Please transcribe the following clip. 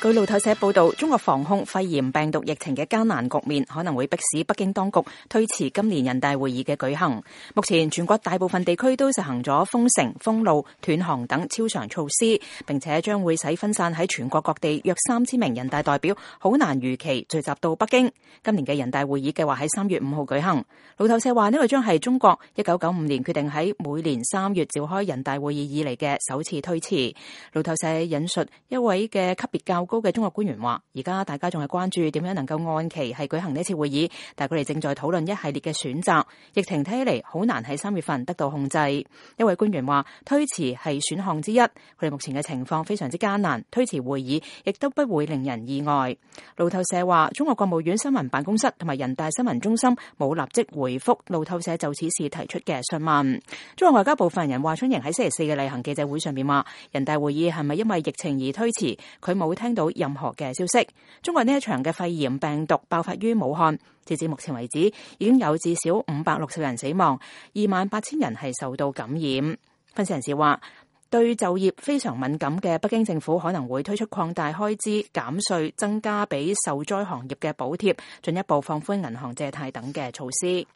據路透社報道，中國防控肺炎病毒疫情嘅艱難局面可能會迫使北京當局推遲今年人大會議嘅舉行。目前全國大部分地區都實行咗封城、封路、斷航等超常措施，並且將會使分散喺全國各地約3000名人大代表好難如期聚集到北京。今年嘅人大會議計劃喺3月5號舉行。路透社話呢個將係中國1995年決定喺每年3月召開人大會議以嚟嘅首次推遲。路透社引述一位嘅級別較高嘅中國官員話，而家大家仲係關注點樣能夠按期係舉行呢次會議，但係佢哋正在討論一系列嘅選擇。疫情睇起嚟好難喺3月份得到控制。一位官員話，推遲係選項之一，佢哋目前嘅情況非常之艱難，推遲會議亦都不會令人意外。路透社話，中國國務院新聞辦公室同埋人大新聞中心冇立即回覆路透社就此事提出嘅詢問。中國外交部發言人華春瑩喺星期4嘅例行記者會上面話，人大會議係咪因為疫情而推遲，佢冇聽到任何嘅消息。中國呢一場嘅肺炎病毒爆發於武漢，截至目前為止已經有至少560人死亡，28000人係受到感染。分析人士話，對就業非常敏感嘅北京政府可能會推出擴大開支、減稅、增加俾受災行業嘅補貼，進一步放寬銀行借貸等嘅措施。